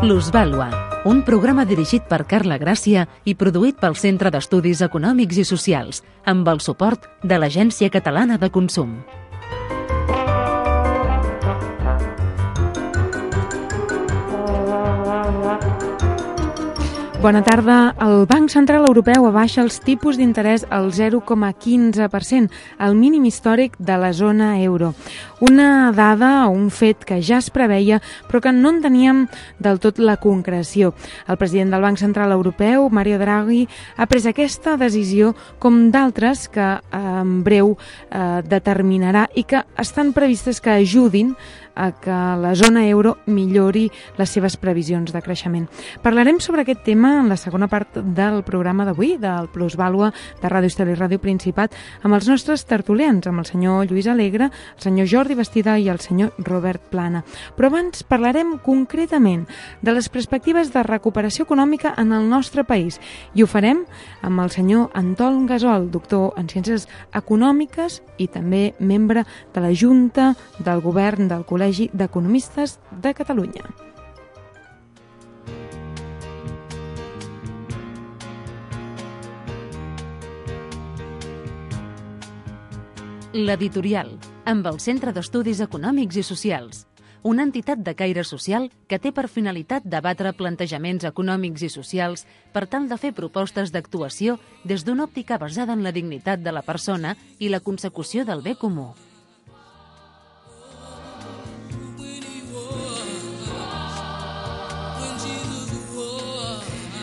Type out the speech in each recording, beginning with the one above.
Plusvàlua, un programa dirigit per Carla Gràcia i produït pel Centre d'Estudis Econòmics i Socials, amb el suport de l'Agència Catalana de Consum. Bona tarda. El Banc Central Europeu abaixa els tipus d'interès al 0,15%, el mínim històric de la zona euro. Una dada o un fet que ja es preveia, però que no en teníem del tot la concreció. El president del Banc Central Europeu, Mario Draghi, ha pres aquesta decisió com d'altres que en breu determinarà i que estan previstes que ajudin a que la zona euro millori les seves previsions de creixement. Parlarem sobre aquest tema en la segona part del programa d'avui, del Plusvàlua de Ràdio Estel i Ràdio Principat, amb els nostres tertulians, amb el senyor Lluís Alegre, el senyor Jordi Bastida i el senyor Robert Plana. Però abans parlarem concretament de les perspectives de recuperació econòmica en el nostre país i ho farem amb el senyor Anton Gasol, doctor en Ciències Econòmiques i també membre de la Junta del Govern del Col·legi d'Economistes de Catalunya. L'Editorial, amb el Centre d'Estudis Econòmics i Socials, una entitat de caire social que té per finalitat debatre plantejaments econòmics i socials per tal de fer propostes d'actuació des d'una òptica basada en la dignitat de la persona i la consecució del bé comú.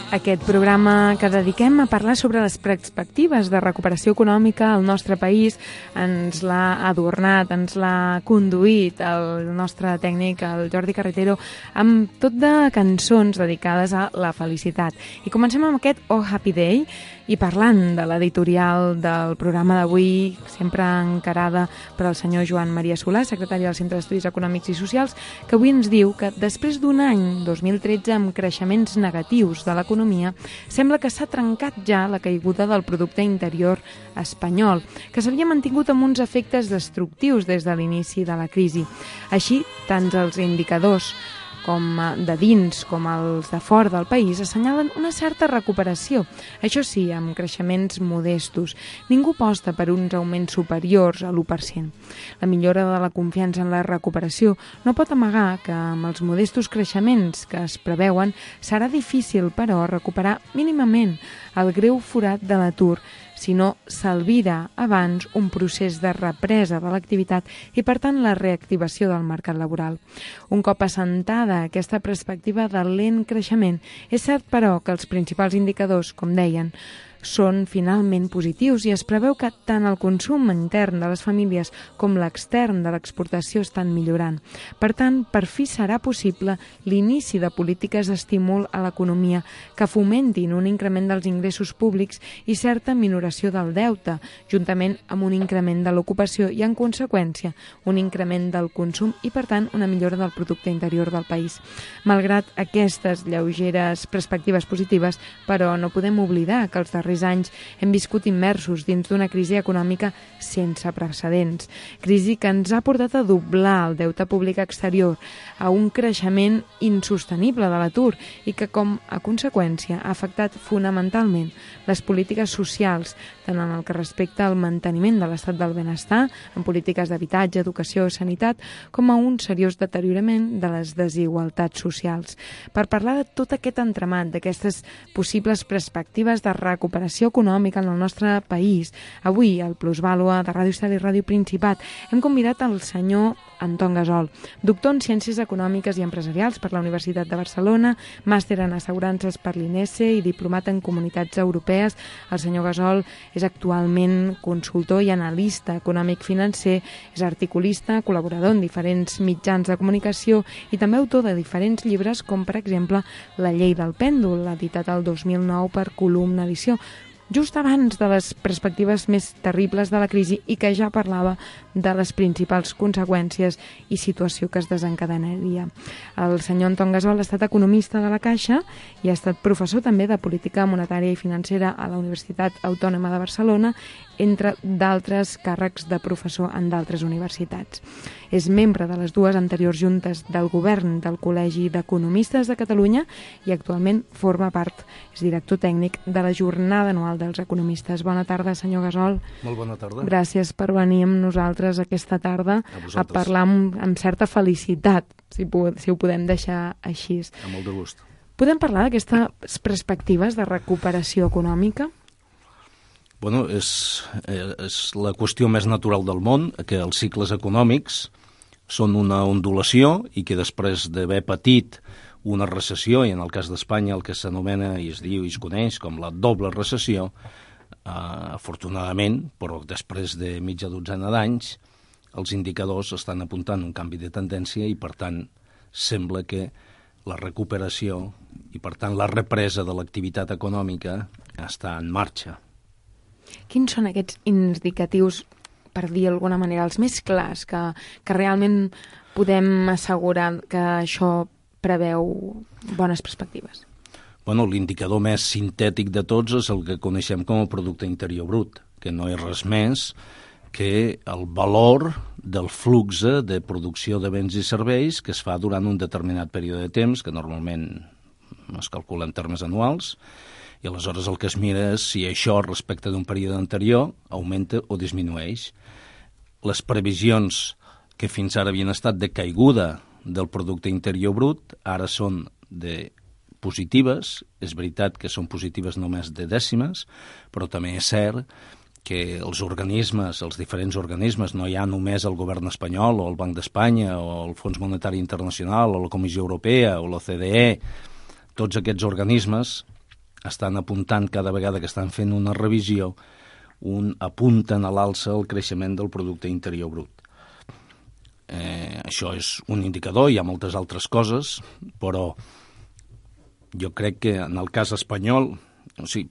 Aquest programa que dediquem a parlar sobre les perspectives de recuperació econòmica al nostre país ens l'ha adornat, ens l'ha conduït el nostre tècnic, el Jordi Carretero, amb tot de cançons dedicades a la felicitat. I comencem amb aquest Oh Happy Day i parlant de l'editorial del programa d'avui, sempre encarada per al senyor Joan Maria Solà, secretari del Centre d'Estudis Econòmics i Socials, que avui ens diu que després d'un any, 2013, amb creixements negatius de l'economia, sembla que s'ha trencat ja la caiguda del producte interior espanyol, que s'havia mantingut amb uns efectes destructius des de l'inici de la crisi. Així, tant els indicadors com de dins com els de fora del país assenyalen una certa recuperació, això sí, amb creixements modestos. Ningú aposta per uns augments superiors a l'1%. La millora de la confiança en la recuperació no pot amagar que amb els modestos creixements que es preveuen serà difícil, però, recuperar mínimament el greu forat de l'atur, si no s'albira abans un procés de represa de l'activitat i, per tant, la reactivació del mercat laboral. Un cop assentada aquesta perspectiva del lent creixement, és cert, però, que els principals indicadors, com deien, són finalment positius i es preveu que tant el consum intern de les famílies com l'extern de l'exportació estan millorant. Per tant, per fi serà possible l'inici de polítiques d'estímul a l'economia que fomentin un increment dels ingressos públics i certa minoració del deute, juntament amb un increment de l'ocupació i, en conseqüència, un increment del consum i, per tant, una millora del producte interior del país. Malgrat aquestes lleugeres perspectives positives, però no podem oblidar que els darrers anys hem viscut immersos dins d'una crisi econòmica sense precedents. Crisi que ens ha portat a doblar el deute públic exterior, a un creixement insostenible de l'atur i que, com a conseqüència, ha afectat fonamentalment les polítiques socials, tant en el que respecta al manteniment de l'estat del benestar, en polítiques d'habitatge, educació o sanitat, com a un seriós deteriorament de les desigualtats socials. Per parlar de tot aquest entramat, d'aquestes possibles perspectives de recuperació econòmica en el nostre país, avui al Plusvàlua de Ràdio Estel i Ràdio Principat hem convidat el senyor Anton Gasol, doctor en Ciències Econòmiques i Empresarials per la Universitat de Barcelona, màster en Assegurances per l'INESE i diplomat en Comunitats Europees. El senyor Gasol és actualment consultor i analista econòmic financer, és articulista, col·laborador en diferents mitjans de comunicació i també autor de diferents llibres com, per exemple, La llei del pèndol, editat el 2009 per Columna Edició, just abans de les perspectives més terribles de la crisi i que ja parlava de les principals conseqüències i situació que es desencadenaria. El senyor Anton Gasol ha estat economista de la Caixa i ha estat professor també de política monetària i financera a la Universitat Autònoma de Barcelona, entre d'altres càrrecs de professor en d'altres universitats. És membre de les dues anteriors juntes del govern del Col·legi d'Economistes de Catalunya i actualment forma part, és director tècnic de la Jornada Anual dels Economistes. Bona tarda, senyor Gasol. Molt bona tarda. Gràcies per venir amb nosaltres aquesta tarda a parlar amb certa felicitat, si ho podem deixar així. Amb molt de gust. Podem parlar d'aquestes perspectives de recuperació econòmica? Bueno, és la qüestió més natural del món, que els cicles econòmics són una ondulació i que després d'haver patit una recessió, i en el cas d'Espanya el que s'anomena i es diu i es coneix com la doble recessió, afortunadament, però després de mitja dotzena d'anys, els indicadors estan apuntant un canvi de tendència i, per tant, sembla que la recuperació i, per tant, la represa de l'activitat econòmica està en marxa. Quins són aquests indicatius, per dir d'alguna manera, els més clars, que realment podem assegurar que això preveu bones perspectives? Bueno, l'indicador més sintètic de tots és el que coneixem com a producte interior brut, que no és res més que el valor del flux de producció de béns i serveis que es fa durant un determinat període de temps, que normalment es calcula en termes anuals, i aleshores el que es mira és si això respecte d'un període anterior augmenta o disminueix. Les previsions que fins ara havien estat de caiguda del producte interior brut ara són de positives. És veritat que són positives només de dècimes, però també és cert que els organismes, els diferents organismes, no hi ha només el govern espanyol o el Banc d'Espanya o el Fons Monetari Internacional o la Comissió Europea o l'OCDE, tots aquests organismes estan apuntant cada vegada que estan fent una revisió, apunten a l'alça el creixement del producte interior brut. Això és un indicador, hi ha moltes altres coses, però jo crec que en el cas espanyol,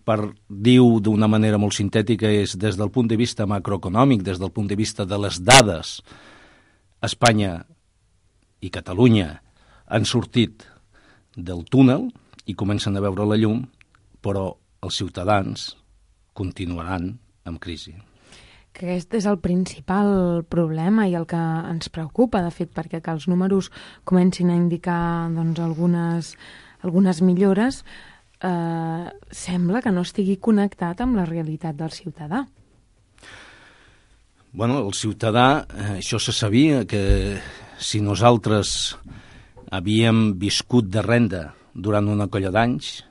per dir-ho d'una manera molt sintètica, és des del punt de vista macroeconòmic, des del punt de vista de les dades, Espanya i Catalunya han sortit del túnel i comencen a veure la llum, però els ciutadans continuaran amb crisi. Que aquest és el principal problema i el que ens preocupa, de fet, perquè que els números comencin a indicar doncs, algunes millores, sembla que no estigui connectat amb la realitat del ciutadà. Bueno, el ciutadà, això se sabia, que si nosaltres havíem viscut de renda durant una colla d'anys,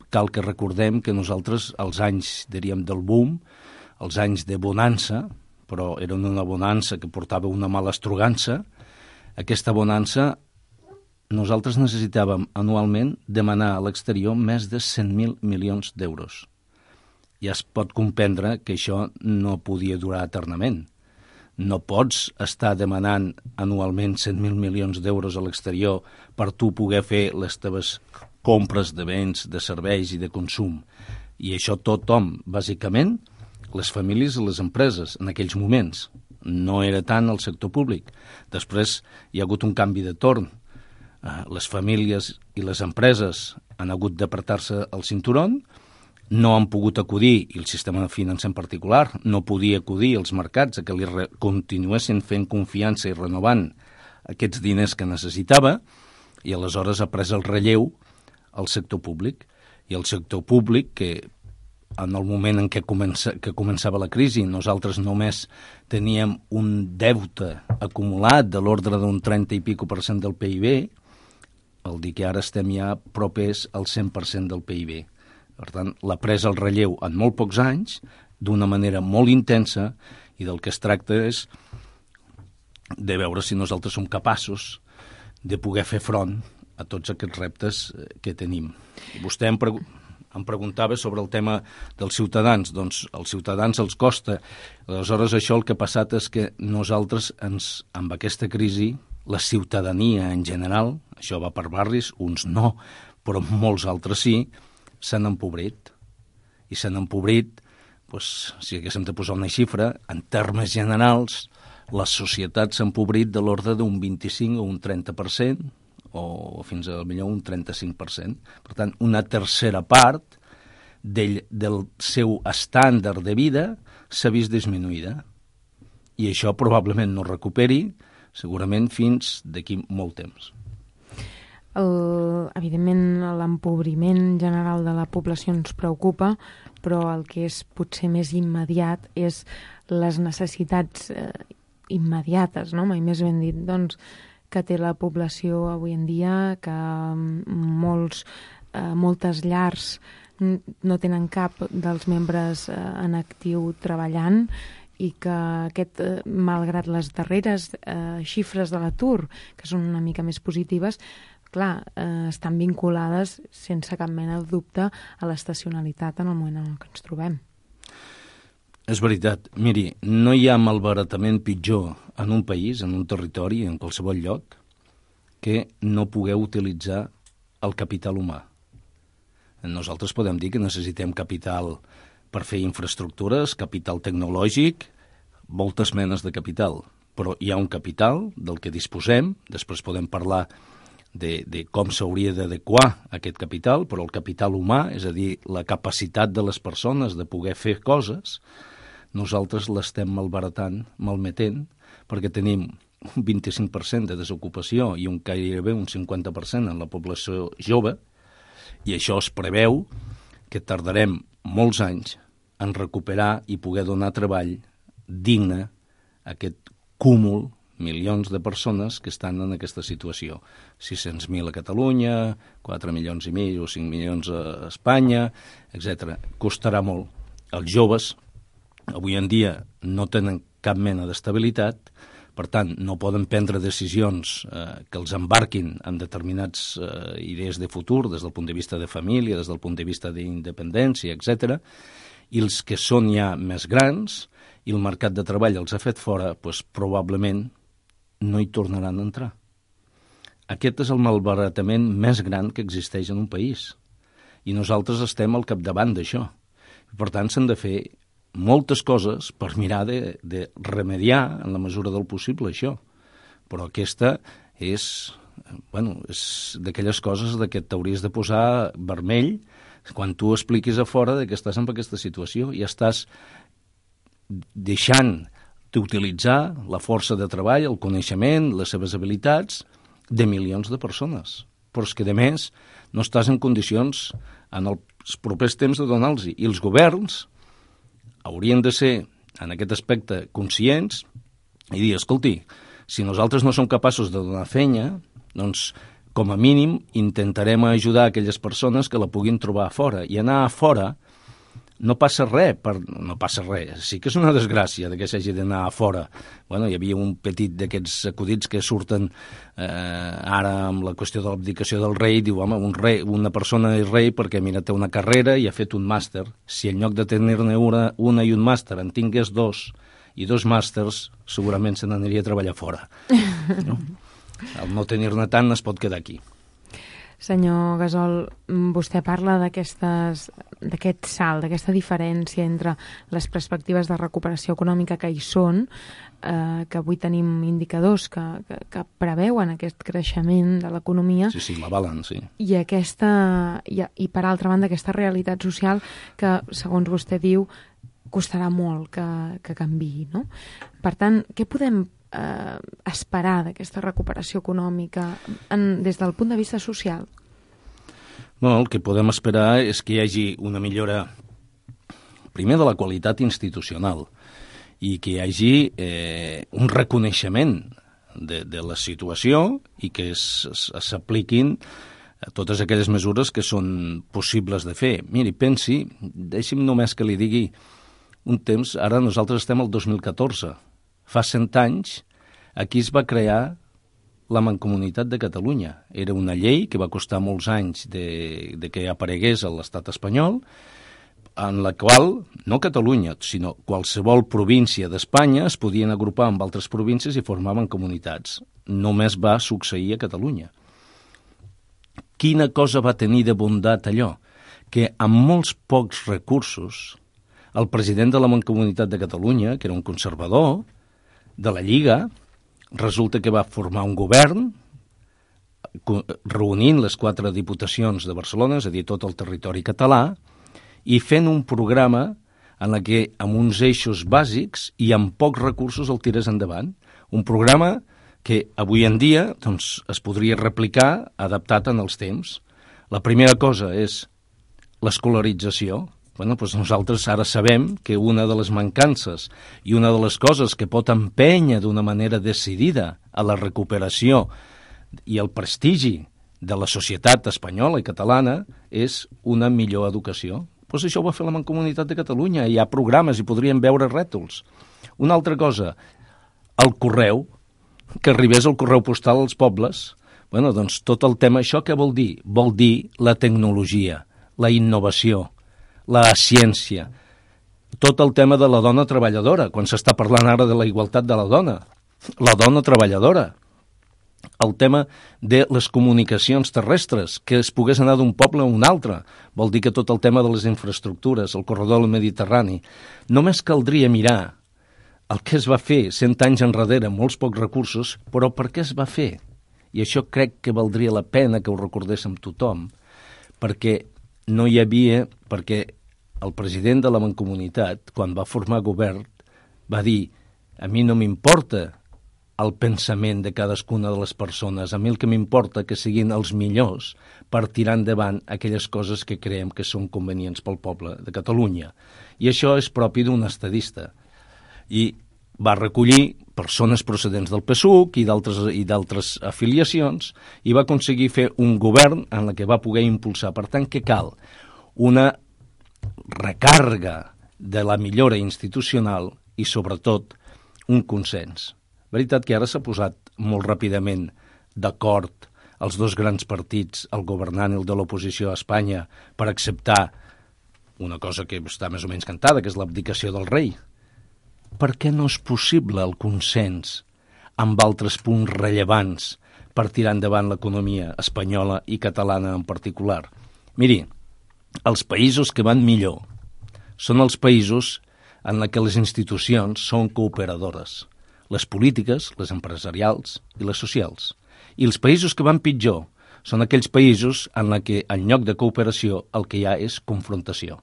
cal que recordem que nosaltres, als anys, diríem, del boom, els anys de bonança, però era una bonança que portava una mala estrugança, aquesta bonança, nosaltres necessitàvem anualment demanar a l'exterior més de 100.000 milions d'euros. Ja es pot comprendre que això no podia durar eternament. No pots estar demanant anualment 100.000 milions d'euros a l'exterior per tu poder fer les teves compres de béns, de serveis i de consum. I això tothom, bàsicament, les famílies i les empreses, en aquells moments. No era tant el sector públic. Després hi ha hagut un canvi de torn. Les famílies i les empreses han hagut d'apretar-se el cinturón, no han pogut acudir, i el sistema financer en particular, no podia acudir als mercats a que li continuessin fent confiança i renovant aquests diners que necessitava, i aleshores ha pres el relleu al sector públic. I el sector públic, que en el moment en què començava la crisi, nosaltres només teníem un deute acumulat de l'ordre d'un 30 i pico % del PIB, vol dir que ara estem ja propers al 100% del PIB. Per tant, l'ha pres el relleu en molt pocs anys, d'una manera molt intensa, i del que es tracta és de veure si nosaltres som capaços de poder fer front a tots aquests reptes que tenim. Vostè em preguntava sobre el tema dels ciutadans. Doncs als ciutadans els costa. Aleshores, això el que ha passat és que nosaltres, amb aquesta crisi, la ciutadania en general, això va per barris, uns no, però molts altres sí, s'han empobrit. I s'han empobrit si haguéssim de posar una xifra, en termes generals, les societats s'han empobrit de l'ordre d'un 25 o un 30%, o fins a millor un 35%. Per tant, una tercera part del seu estàndard de vida s'ha vist disminuïda. I això probablement no recuperi, segurament fins d'aquí molt temps. Evidentment, l'empobriment general de la població ens preocupa, però el que és potser més immediat és les necessitats immediates, no? Mai més ben dit, doncs, que té la població avui en dia, que moltes llars no tenen cap dels membres en actiu treballant, i que malgrat les darreres xifres de l'atur, que són una mica més positives, clar, estan vinculades sense cap mena de dubte a l'estacionalitat en el moment en què ens trobem. És veritat. Miri, no hi ha malbaratament pitjor en un país, en un territori, en qualsevol lloc, que no poder utilitzar el capital humà. Nosaltres podem dir que necessitem capital per fer infraestructures, capital tecnològic, moltes menes de capital. Però hi ha un capital del que disposem, després podem parlar de com s'hauria d'adequar aquest capital, però el capital humà, és a dir, la capacitat de les persones de poder fer coses, nosaltres l'estem malmetent, perquè tenim un 25% de desocupació i gairebé un 50% en la població jove, i això es preveu que tardarem molts anys en recuperar i poder donar treball digne a aquest cúmul, milions de persones que estan en aquesta situació. 600.000 a Catalunya, 4 milions i mig o 5 milions a Espanya, etc. Costarà molt. Els joves, avui en dia, no tenen cap mena d'estabilitat, per tant, no poden prendre decisions que els embarquin en determinats idees de futur, des del punt de vista de família, des del punt de vista d'independència, etc. I els que són ja més grans i el mercat de treball els ha fet fora, doncs probablement no hi tornaran a entrar. Aquest és el malbaratament més gran que existeix en un país. I nosaltres estem al capdavant d'això. Per tant, s'han de fer moltes coses per mirar de remediar en la mesura del possible això. Però aquesta és d'aquelles coses que t'hauries de posar vermell quan tu expliquis a fora que estàs en aquesta situació i estàs deixant d'utilitzar la força de treball, el coneixement, les seves habilitats de milions de persones. Però és que, a més, no estàs en condicions en els propers temps de donar-los. I els governs haurien de ser, en aquest aspecte, conscients i dir, escolti, si nosaltres no som capaços de donar feina, doncs, com a mínim, intentarem ajudar aquelles persones que la puguin trobar a fora. I anar a fora no passa res, sí que és una desgràcia que s'hagi d'anar a fora. Hi havia un petit d'aquests acudits que surten ara amb la qüestió de l'abdicació del rei, diu, home, una persona és rei perquè, mira, té una carrera i ha fet un màster. Si en lloc de tenir-ne una i un màster en tingués dos i dos màsters, segurament se n'aniria a treballar fora. No? Al no tenir-ne tant es pot quedar aquí. Senyor Gasol, vostè parla d'aquest salt, d'aquesta diferència entre les perspectives de recuperació econòmica que hi són, que avui tenim indicadors que preveuen aquest creixement de l'economia. Sí, l'avalen, sí. I per altra banda, aquesta realitat social que, segons vostè diu, costarà molt que canviï, no? Per tant, què podem esperar d'aquesta recuperació econòmica des del punt de vista social? El que podem esperar és que hi hagi una millora, primer, de la qualitat institucional i que hi hagi un reconeixement de la situació i que s'apliquin totes aquelles mesures que són possibles de fer. Miri, pensi, deixi'm només que li digui un temps, ara nosaltres estem al 2014, fa 100 anys, aquí es va crear la Mancomunitat de Catalunya. Era una llei que va costar molts anys de que aparegués a l'estat espanyol, en la qual, no Catalunya, sinó qualsevol província d'Espanya es podien agrupar amb altres províncies i formaven comunitats. Només va succeir a Catalunya. Quina cosa va tenir de bondat allò? Que amb molts pocs recursos el president de la Mancomunitat de Catalunya, que era un conservador, de la Lliga, resulta que va formar un govern reunint les 4 diputacions de Barcelona, és a dir, tot el territori català, i fent un programa en la que amb uns eixos bàsics i amb pocs recursos el tirés endavant. Un programa que avui en dia doncs, es podria replicar adaptat en els temps. La primera cosa és l'escolarització. Doncs nosaltres ara sabem que una de les mancances i una de les coses que pot empènyer d'una manera decidida a la recuperació i el prestigi de la societat espanyola i catalana és una millor educació. Doncs això ho va fer la Mancomunitat de Catalunya. Hi ha programes i podríem veure rètols. Una altra cosa, el correu, que arribés el correu postal als pobles. Doncs tot el tema, això què vol dir? Vol dir la tecnologia, la innovació, la ciència, tot el tema de la dona treballadora, quan s'està parlant ara de la igualtat de la dona treballadora, el tema de les comunicacions terrestres, que es pogués anar d'un poble a un altre, vol dir que tot el tema de les infraestructures, el corredor del Mediterrani, només caldria mirar el que es va fer 100 anys enrere, molts pocs recursos, però per què es va fer? I això crec que valdria la pena que ho recordéssim tothom, perquè no hi havia, perquè el president de la Mancomunitat, quan va formar govern, va dir, a mi no m'importa el pensament de cadascuna de les persones, a mi el que m'importa que siguin els millors per tirar endavant aquelles coses que creiem que són convenients pel poble de Catalunya. I això és propi d'un estadista. I va recollir persones procedents del PSUC i d'altres afiliacions i va aconseguir fer un govern en la que va poder impulsar. Per tant, què cal? Una recàrrega de la millora institucional i, sobretot, un consens. Veritat que ara s'ha posat molt ràpidament d'acord els dos grans partits, el governant i el de l'oposició a Espanya, per acceptar una cosa que està més o menys cantada, que és l'abdicació del rei. Per què no és possible el consens amb altres punts rellevants per tirar endavant l'economia espanyola i catalana en particular? Miri, els països que van millor són els països en què les institucions són cooperadores, les polítiques, les empresarials i les socials. I els països que van pitjor són aquells països en què en lloc de cooperació el que hi ha és confrontació.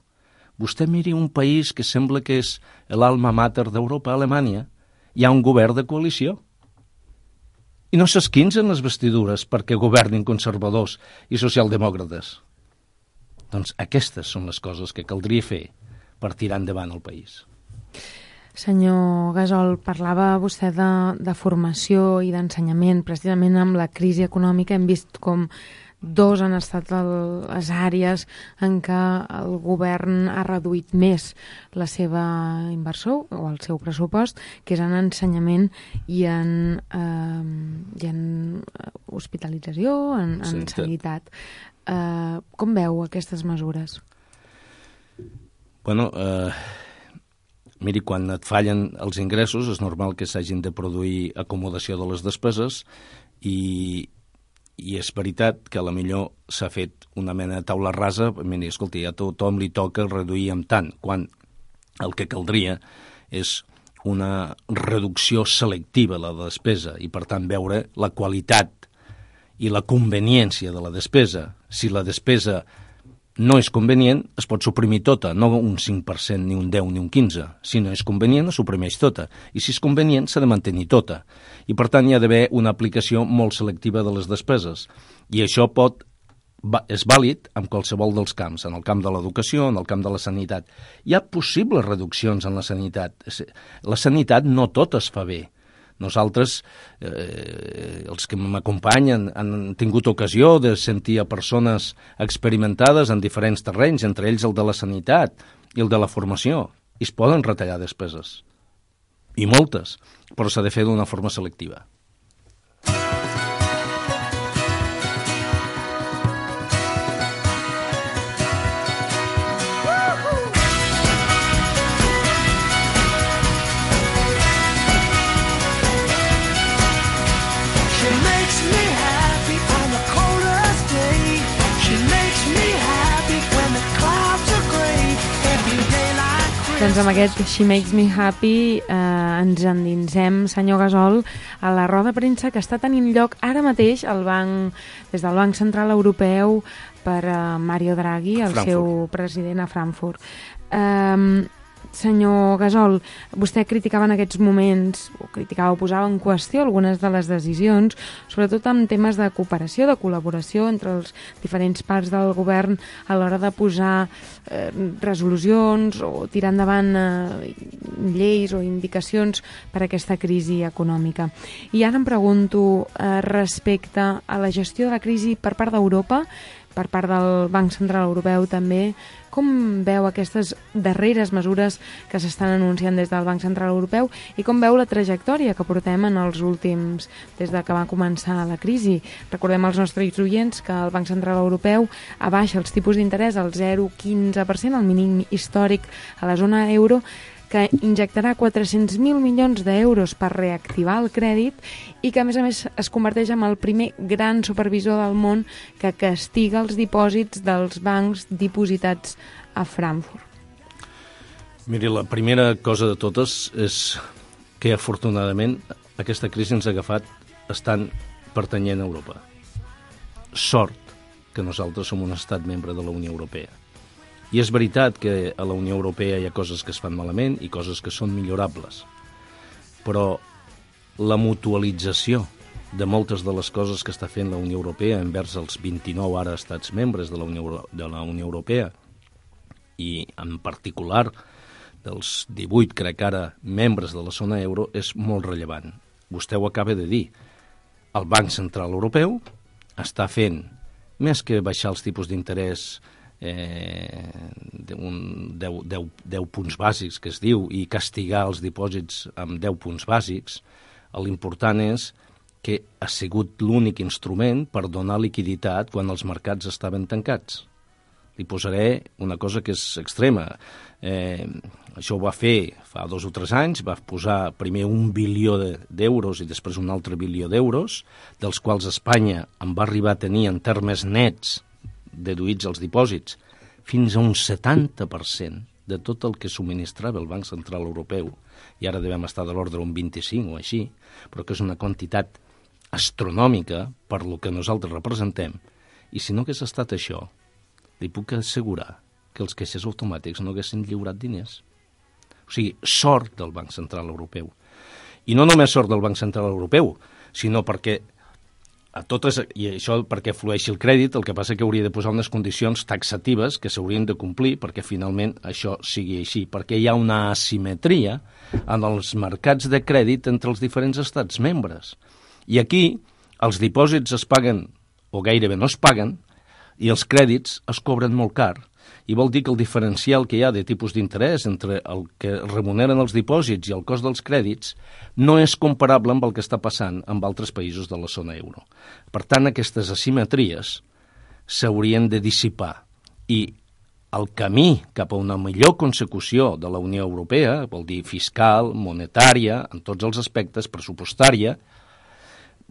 Vostè miri un país que sembla que és l'alma mater d'Europa, Alemanya, hi ha un govern de coalició. I no s'esquinzen les vestidures perquè governin conservadors i socialdemòcrates. Doncs aquestes són les coses que caldria fer per tirar endavant el país. Senyor Gasol, parlava vostè de formació i d'ensenyament. Precisament amb la crisi econòmica hem vist com dos han estat les àrees en què el govern ha reduït més la seva inversió o el seu pressupost, que és en ensenyament i en hospitalització, en sanitat. Com veu aquestes mesures? Miri, quan et fallen els ingressos és normal que s'hagin de produir acomodació de les despeses i és veritat que a la millor s'ha fet una mena de taula rasa. Miri, escolti, a tothom li toca reduir amb tant, quan el que caldria és una reducció selectiva de la despesa i, per tant, veure la qualitat i la conveniència de la despesa. Si la despesa no és convenient, es pot suprimir tota, no un 5%, ni un 10, ni un 15%. Si no és convenient, es suprimeix tota. I si és convenient, s'ha de mantenir tota. I, per tant, hi ha d'haver una aplicació molt selectiva de les despeses. I això és vàlid en qualsevol dels camps, en el camp de l'educació, en el camp de la sanitat. Hi ha possibles reduccions en la sanitat. La sanitat no tot es fa bé. Nosaltres, els que m'acompanyen, han tingut ocasió de sentir a persones experimentades en diferents terrenys, entre ells el de la sanitat i el de la formació, i es poden retallar despeses. I moltes, però s'ha de fer d'una forma selectiva. Doncs amb aquest She Makes Me Happy ens endinsem, senyor Gasol, a la roda de premsa que està tenint lloc ara mateix des del Banc Central Europeu per Mario Draghi, el seu president a Frankfurt. Senyor Gasol, vostè criticava en aquests moments, o posava en qüestió algunes de les decisions, sobretot en temes de cooperació, de col·laboració entre els diferents parts del govern a l'hora de posar resolucions o tirar endavant lleis o indicacions per a aquesta crisi econòmica. I ara em pregunto respecte a la gestió de la crisi per part d'Europa, per part del Banc Central Europeu també, com veu aquestes darreres mesures que s'estan anunciant des del Banc Central Europeu i com veu la trajectòria que portem en els últims, des de que va començar la crisi? Recordem als nostres oients que el Banc Central Europeu abaixa els tipus d'interès al 0,15%, el mínim històric a la zona euro, que injectarà 400.000 milions d'euros per reactivar el crèdit i que, a més, es converteix en el primer gran supervisor del món que castiga els dipòsits dels bancs dipositats a Frankfurt. Miri, la primera cosa de totes és que, afortunadament, aquesta crisi ens ha agafat estant pertanyent a Europa. Sort que nosaltres som un estat membre de la Unió Europea. I és veritat que a la Unió Europea hi ha coses que es fan malament i coses que són millorables. Però la mutualització de moltes de les coses que està fent la Unió Europea envers els 29 ara estats membres de la Unió Europea i en particular dels 18, crec ara, membres de la zona euro és molt rellevant. Vostè ho acaba de dir. El Banc Central Europeu està fent, més que baixar els tipus d'interès 10 punts bàsics, que es diu, i castigar els dipòsits amb 10 punts bàsics, l'important és que ha sigut l'únic instrument per donar liquiditat quan els mercats estaven tancats. Li posaré una cosa que és extrema. Això ho va fer fa 2 o 3 anys, va posar primer 1 bilió d'euros i després un altre bilió d'euros, dels quals Espanya en va arribar a tenir en termes nets deduïts els dipòsits, fins a un 70% de tot el que subministrava el Banc Central Europeu, i ara devem estar de l'ordre un 25 o així, però que és una quantitat astronòmica per lo que nosaltres representem, i si no hagués estat això, li puc assegurar que els caixers automàtics no haguessin lliurat diners. O sigui, sort del Banc Central Europeu. I no només sort del Banc Central Europeu, sinó perquè i això perquè flueixi el crèdit, el que passa que hauria de posar unes condicions taxatives que s'haurien de complir perquè finalment això sigui així, perquè hi ha una asimetria en els mercats de crèdit entre els diferents estats membres. I aquí els dipòsits es paguen, o gairebé no es paguen, i els crèdits es cobren molt car. I vol dir que el diferencial que hi ha de tipus d'interès entre el que remuneren els dipòsits i el cost dels crèdits no és comparable amb el que està passant amb altres països de la zona euro. Per tant, aquestes asimetries s'haurien de dissipar i el camí cap a una millor consecució de la Unió Europea, vol dir fiscal, monetària, en tots els aspectes, pressupostària,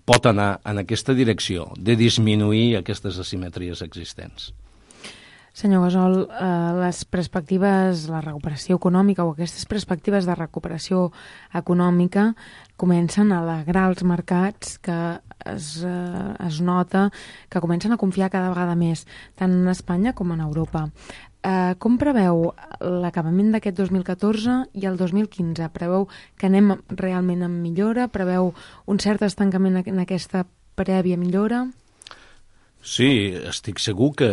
pot anar en aquesta direcció de disminuir aquestes asimetries existents. Senyor Gasol, les perspectives, la recuperació econòmica o aquestes perspectives de recuperació econòmica comencen a alegrar els mercats, que es nota que comencen a confiar cada vegada més, tant en Espanya com en Europa. Com preveu l'acabament d'aquest 2014 i el 2015? Preveu que anem realment en millora? Preveu un cert estancament en aquesta prèvia millora? Sí, estic segur que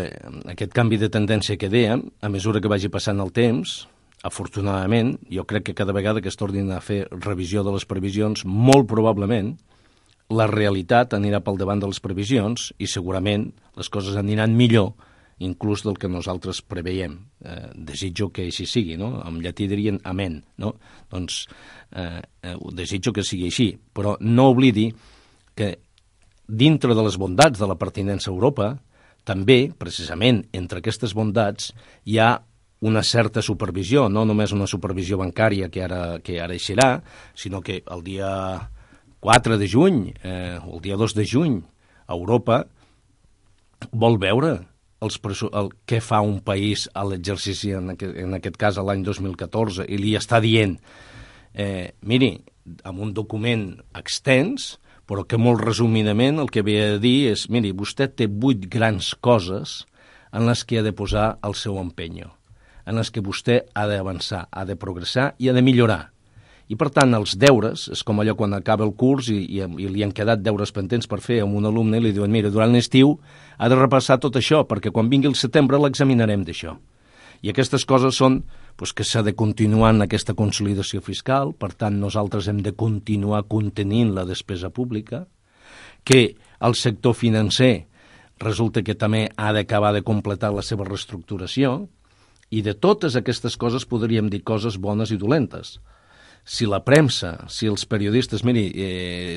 aquest canvi de tendència que dèiem, a mesura que vagi passant el temps, afortunadament, jo crec que cada vegada que es tornin a fer revisió de les previsions, molt probablement la realitat anirà pel davant de les previsions i segurament les coses aniran millor inclús del que nosaltres preveiem. Desitjo que així sigui, no? En llatí dirien amen, no? Doncs desitjo que sigui així, però no oblidi que dintre de les bondats de la pertinença a Europa, també, precisament, entre aquestes bondats, hi ha una certa supervisió, no només una supervisió bancària que ara eixirà, sinó que el dia 4 de juny o el dia 2 de juny Europa vol veure què fa un país a l'exercici, en aquest cas a l'any 2014, i li està dient, miri, amb un document extens, però que molt resumidament el que ve a dir és, miri, vostè té 8 grans coses en les que ha de posar el seu empenyo, en les que vostè ha d'avançar, ha de progressar i ha de millorar. I, per tant, els deures, és com allò quan acaba el curs i li han quedat deures pendents per fer a un alumne i li diuen, mira, durant l'estiu ha de repassar tot això, perquè quan vingui el setembre l'examinarem d'això. I aquestes coses són que s'ha de continuar en aquesta consolidació fiscal, per tant, nosaltres hem de continuar contenint la despesa pública, que el sector financer resulta que també ha d'acabar de completar la seva reestructuració, i de totes aquestes coses podríem dir coses bones i dolentes. Si la premsa, si els periodistes... Miri,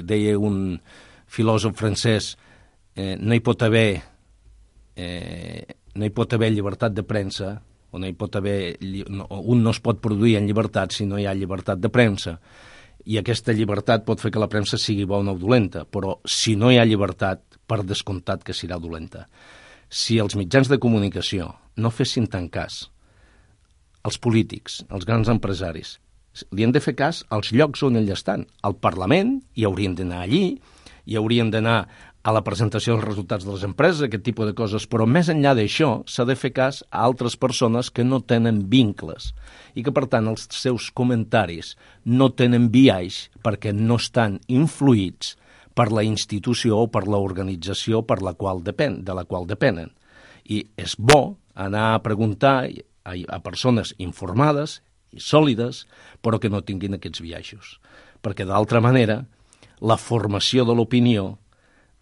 deia un filòsof francès, no hi pot haver llibertat de premsa, o no hi pot haver... Un no es pot produir en llibertat si no hi ha llibertat de premsa. I aquesta llibertat pot fer que la premsa sigui bona o dolenta, però si no hi ha llibertat, per descomptat que serà dolenta. Si els mitjans de comunicació no fessin tant cas, els polítics, els grans empresaris, li han de fer cas als llocs on ells estan. Al Parlament, hi haurien d'anar allí, hi haurien d'anar a la presentació dels resultats de les empreses, aquest tipus de coses, però més enllà d'això s'ha de fer cas a altres persones que no tenen vincles i que, per tant, els seus comentaris no tenen biaix perquè no estan influïts per la institució o per l'organització de la qual depenen. I és bo anar a preguntar a persones informades i sòlides, però que no tinguin aquests biaixos. Perquè, d'altra manera, la formació de l'opinió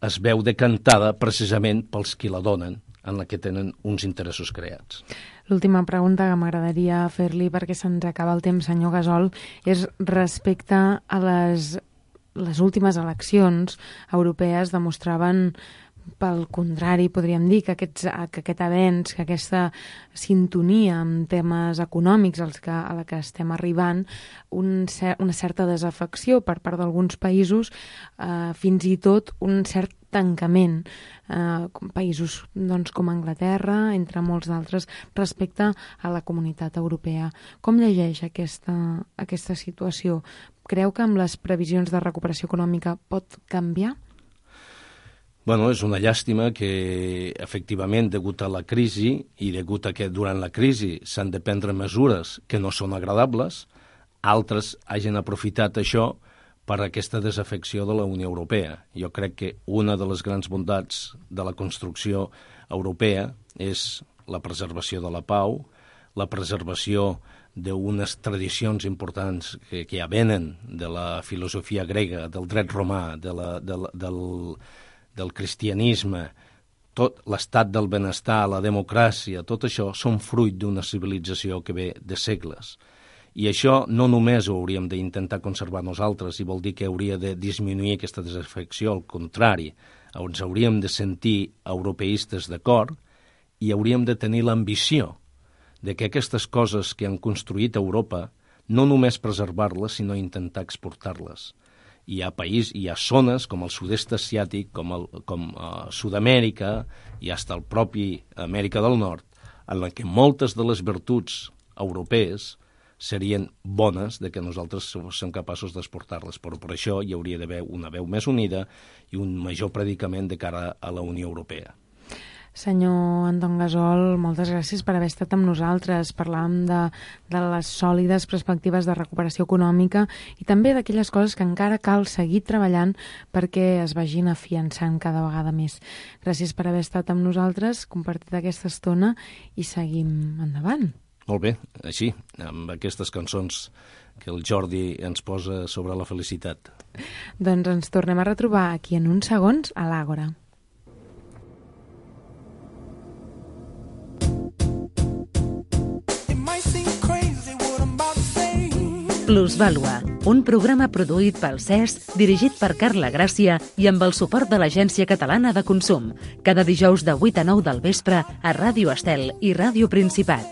es veu decantada precisament pels qui la donen, en la que tenen uns interessos creats. L'última pregunta que m'agradaria fer-li, perquè se'ns acaba el temps, senyor Gasol, és respecte a les últimes eleccions europees demostraven, pel contrari, podríem dir que aquest avenç, que aquesta sintonia amb temes econòmics a la que estem arribant, una certa desafecció per part d'alguns països, fins i tot un cert tancament, països com Anglaterra, entre molts d'altres, respecte a la comunitat europea. Com llegeix aquesta situació? Creu que amb les previsions de recuperació econòmica pot canviar? Bueno, és una llàstima que, efectivament, degut a la crisi i degut a que durant la crisi s'han de prendre mesures que no són agradables, altres hagin aprofitat això per aquesta desafecció de la Unió Europea. Jo crec que una de les grans bondats de la construcció europea és la preservació de la pau, la preservació d'unes tradicions importants que ja venen de la filosofia grega, del dret romà, del cristianisme, tot l'estat del benestar, la democràcia, tot això són fruit d'una civilització que ve de segles. I això no només ho hauríem d'intentar conservar nosaltres, i vol dir que hauria de disminuir aquesta desafecció, al contrari, ens hauríem de sentir europeistes d'acord i hauríem de tenir l'ambició de que aquestes coses que han construït Europa no només preservar-les, sinó intentar exportar-les. Hi ha zones com el sud-est asiàtic, com Sud-amèrica i fins al propi Amèrica del Nord, en la que moltes de les virtuts europees serien bones de que nosaltres som capaços d'exportar-les, però per això hi hauria d'haver una veu més unida i un major predicament de cara a la Unió Europea. Senyor Anton Gasol, moltes gràcies per haver estat amb nosaltres. Parlàvem de les sòlides perspectives de recuperació econòmica i també d'aquelles coses que encara cal seguir treballant perquè es vagin afiançant cada vegada més. Gràcies per haver estat amb nosaltres, compartit aquesta estona i seguim endavant. Molt bé, així, amb aquestes cançons que el Jordi ens posa sobre la felicitat. Doncs ens tornem a retrobar aquí en uns segons a l'Àgora. Plusvàlua, un programa produït pel CES, dirigit per Carla Gràcia i amb el suport de l'Agència Catalana de Consum. Cada dijous de 8 a 9 del vespre a Ràdio Estel i Ràdio Principat.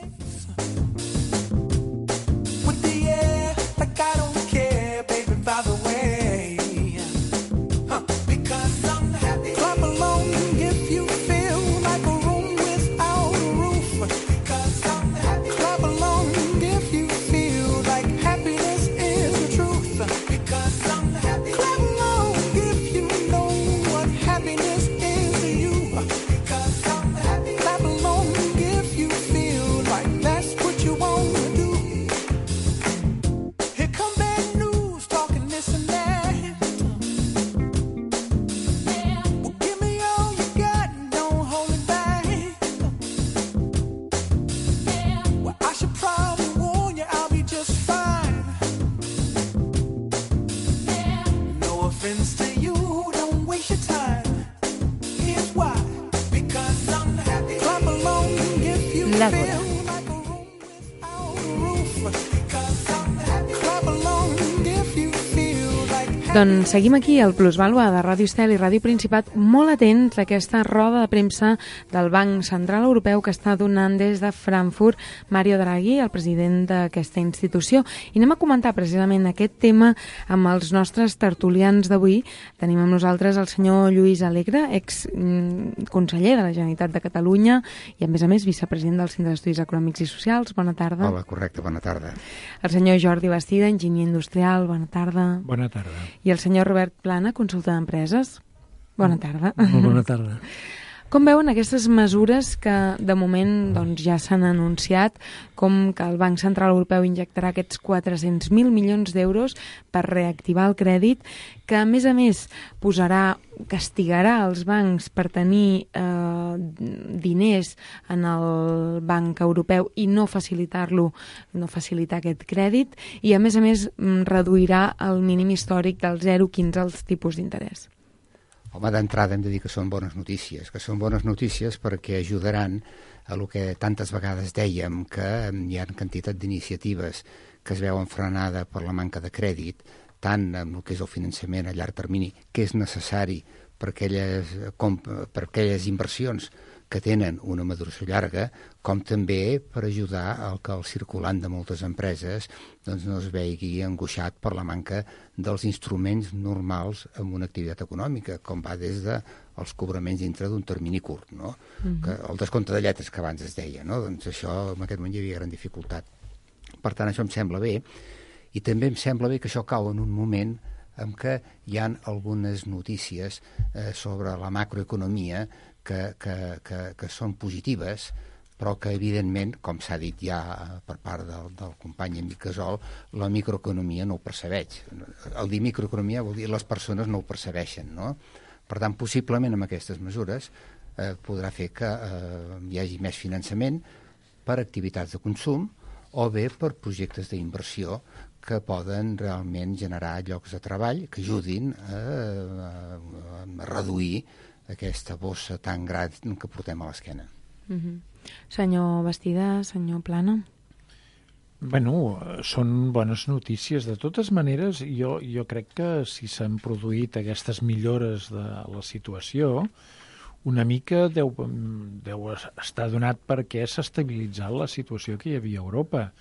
l'Àgora. Doncs seguim aquí al Plusvàlua de Ràdio Estel i Ràdio Principat, molt atents a aquesta roda de premsa del Banc Central Europeu que està donant des de Frankfurt Mario Draghi, el president d'aquesta institució. I anem a comentar precisament aquest tema amb els nostres tertulians d'avui. Tenim amb nosaltres el senyor Lluís Alegre, exconseller de la Generalitat de Catalunya i, a més, vicepresident del Centre d'Estudis Econòmics i Socials. Bona tarda. Hola, correcte, bona tarda. El senyor Jordi Bastida, enginyer industrial. Bona tarda. Bona tarda. I el senyor Robert Plana, consultor d'empreses. Bona tarda. Molt bona tarda. Com veuen aquestes mesures que de moment ja s'han anunciat, com que el Banc Central Europeu injectarà aquests 400.000 milions d'euros per reactivar el crèdit, que a més castigarà els bancs per tenir diners en el Banc Europeu i no facilitar aquest crèdit, i a més reduirà el mínim històric del 0,15 als tipus d'interès. Home, d'entrada hem de dir que són bones notícies perquè ajudaran a el que tantes vegades dèiem, que hi ha quantitat d'iniciatives que es veuen frenada per la manca de crèdit, tant en el que és el finançament a llarg termini, que és necessari per aquelles inversions que tenen una maduració llarga, com també per ajudar al que el circulant de moltes empreses no es vegi angoixat per la manca dels instruments normals en una activitat econòmica, com va des dels cobraments dintre d'un termini curt, no? Que el descompte de lletres que abans es deia, no? Doncs això en aquest moment hi havia gran dificultat. Per tant, això em sembla bé, i també em sembla bé que això cau en un moment en què hi ha algunes notícies sobre la macroeconomia que són positives, però que evidentment, com s'ha dit ja per part del company Enric Gasol, la microeconomia no ho percebeix. El dir microeconomia vol dir les persones no ho percebeixen, no? Per tant, possiblement amb aquestes mesures podrà fer que hi hagi més finançament per activitats de consum o bé per projectes d'inversió que poden realment generar llocs de treball que ajudin a reduir aquesta bossa tan gran que portem a l'esquena. Senyor Bastida, senyor Plana. Bueno, són bones notícies. De totes maneres, jo crec que si s'han produït aquestes millores de la situació, una mica deu estar donat perquè s'ha estabilitzat la situació que hi havia a Europa.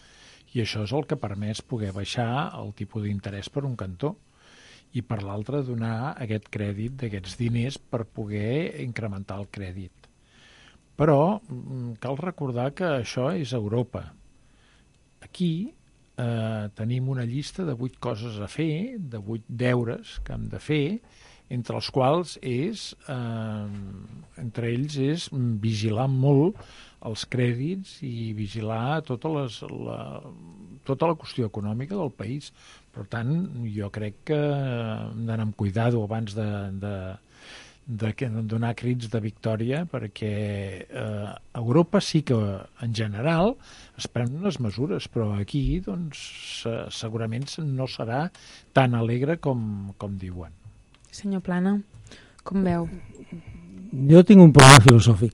I això és el que ha permès poder baixar el tipus d'interès per un cantó i per l'altre donar aquest crèdit d'aquests diners per poder incrementar el crèdit. Però cal recordar que això és Europa. Aquí tenim una llista de 8 coses a fer, de 8 deures que hem de fer, entre els quals entre ells és vigilar molt els crèdits i vigilar tota la qüestió econòmica del país. Per tant, jo crec que hem d'anar amb cuidado abans de donar crits de victòria, perquè a Europa sí que en general es prenen unes mesures, però aquí doncs, segurament no serà tan alegre com diuen. Senyor Plana, com veu? Jo tinc un problema filosòfic.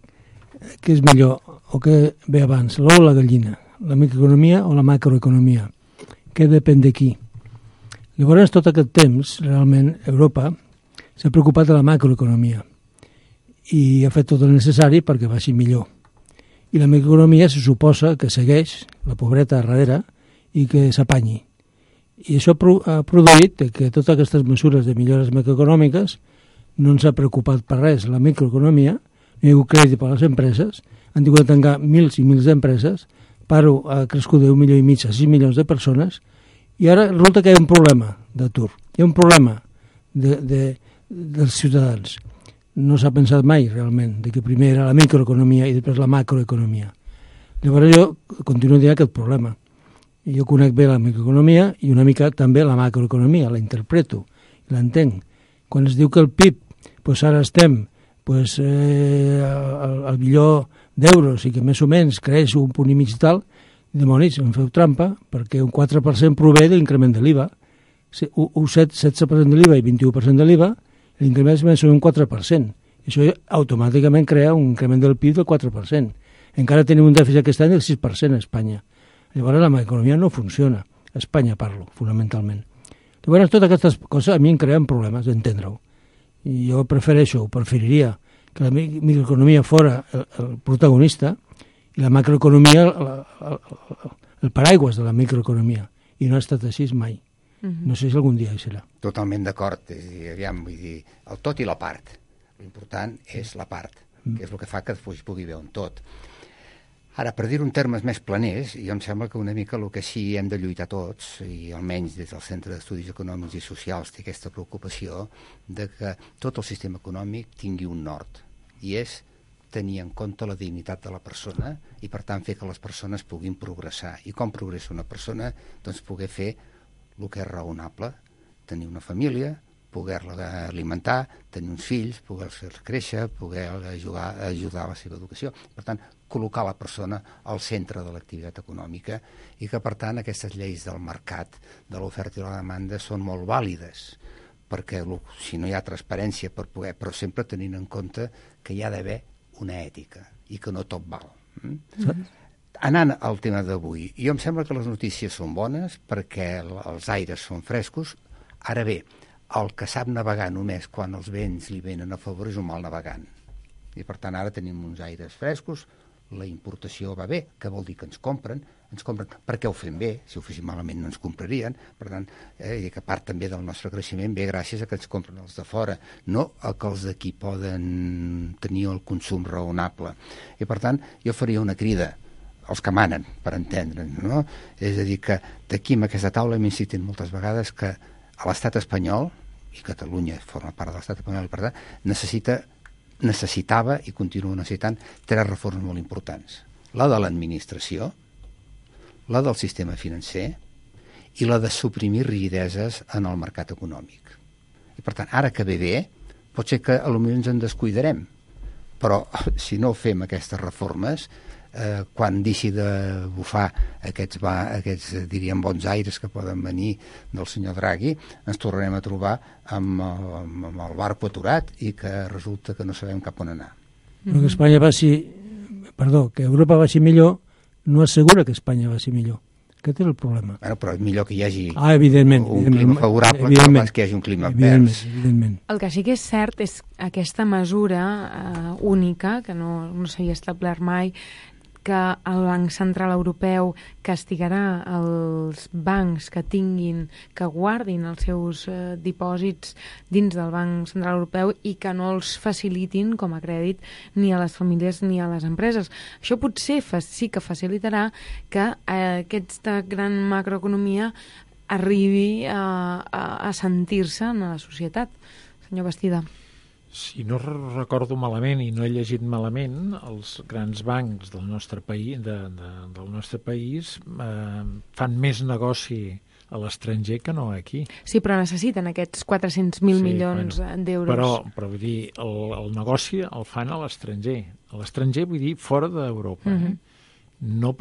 Què és millor, o què ve abans, l'ou o la gallina? La microeconomia o la macroeconomia? Què depèn de qui? Llavors, tot aquest temps, realment, Europa s'ha preocupat de la macroeconomia i ha fet tot el necessari perquè vagi millor. I la microeconomia se suposa que segueix la pobreta darrere i que s'apanyi. I això ha produït que totes aquestes mesures de millores macroeconòmiques no ens ha preocupat per res. La microeconomia, no hi ha hagut crèdit per a les empreses, han tingut de tancar mils i mils d'empreses, paro ha crescut d'1,5 milió a 6 milions de persones, i ara resulta que hi ha un problema d'atur, hi ha un problema dels ciutadans. No s'ha pensat mai realment de que primer era la microeconomia i després la macroeconomia. Llavors jo continuo dient aquest problema. Jo conec bé la microeconomia i una mica també la macroeconomia, la interpreto, l'entenc. Quan es diu que el PIB, ara estem al milió d'euros i que més o menys creix un punt i mig i tal, dimonis, em feu trampa, perquè un 4% prové de l'increment de l'IVA. Un 16% de l'IVA i 21% de l'IVA, l'increment és més o menys un 4%. Això automàticament crea un increment del PIB del 4%. Encara tenim un dèficit aquest any del 6% a Espanya. Llavors la macroeconomia no funciona. A Espanya parlo, fonamentalment. Llavors totes aquestes coses a mi em creen problemes d'entendre-ho. I jo preferiria que la microeconomia fora el protagonista i la macroeconomia el paraigües de la microeconomia. I no ha estat així mai. No sé si algun dia hi serà. Totalment d'acord. És a dir, aviam, vull dir, el tot i la part. L'important és la part, que és el que fa que es pugui veure un tot. Ara, per dir-ho en termes més planers, jo em sembla que una mica el que sí hem de lluitar tots, i almenys des del Centre d'Estudis Econòmics i Socials té aquesta preocupació de que tot el sistema econòmic tingui un nord, i és tenir en compte la dignitat de la persona i, per tant, fer que les persones puguin progressar. I com progressa una persona? Doncs poder fer el que és raonable, tenir una família, poder-la alimentar, tenir uns fills, poder-los créixer, poder ajudar a la seva educació. Per tant, col·locar la persona al centre de l'activitat econòmica i que, per tant, aquestes lleis del mercat, de l'oferta i la demanda, són molt vàlides, perquè si no hi ha transparència per poder, però sempre tenint en compte que hi ha d'haver una ètica i que no tot val. Anant al tema d'avui, jo em sembla que les notícies són bones perquè els aires són frescos. Ara bé, el que sap navegar només quan els vents li venen a favor és un mal navegant. I per tant ara tenim uns aires frescos, la importació va bé, que vol dir que ens compren perquè ho fem bé, si ho féssim malament no ens comprarien, per tant, i que part també del nostre creixement ve gràcies a que ens compren els de fora, no a que els d'aquí poden tenir el consum raonable. I per tant, jo faria una crida els que manen, per entendre'ns, no? És a dir, que d'aquí amb aquesta taula hem insistit moltes vegades que a l'estat espanyol, i Catalunya forma part de l'estat espanyol, per tant, necessitava i continua necessitant 3 reformes molt importants. La de l'administració, la del sistema financer i la de suprimir rigideses en el mercat econòmic. I per tant, ara que ve bé, pot ser que potser ens en descuidarem, però si no fem aquestes reformes, quan deixi de bufar aquests diríem bons aires que poden venir del senyor Draghi, ens tornarem a trobar amb el barco aturat i que resulta que no sabem cap on anar. Però que Espanya que Europa vagi millor no assegura que Espanya vagi millor. Aquest és el problema. Bueno, però és millor que hi hagi evidentment, un clima favorable que no pas que hi hagi un clima advers. Evidentment. El que sí que és cert és aquesta mesura única, que no s'havia establert mai, que el Banc Central Europeu castigarà els bancs que guardin els seus dipòsits dins del Banc Central Europeu i que no els facilitin com a crèdit ni a les famílies ni a les empreses. Això potser sí que facilitarà que aquesta gran macroeconomia arribi a sentir-se en la societat. Senyor Bastida. Si no recordo malament i no he llegit malament, els grans bancs del nostre país fan més negoci a l'estranger que no aquí. Sí, però necessiten aquests 400.000 milions d'euros. Però vull dir, el negoci el fan a l'estranger. A l'estranger vull dir fora d'Europa. No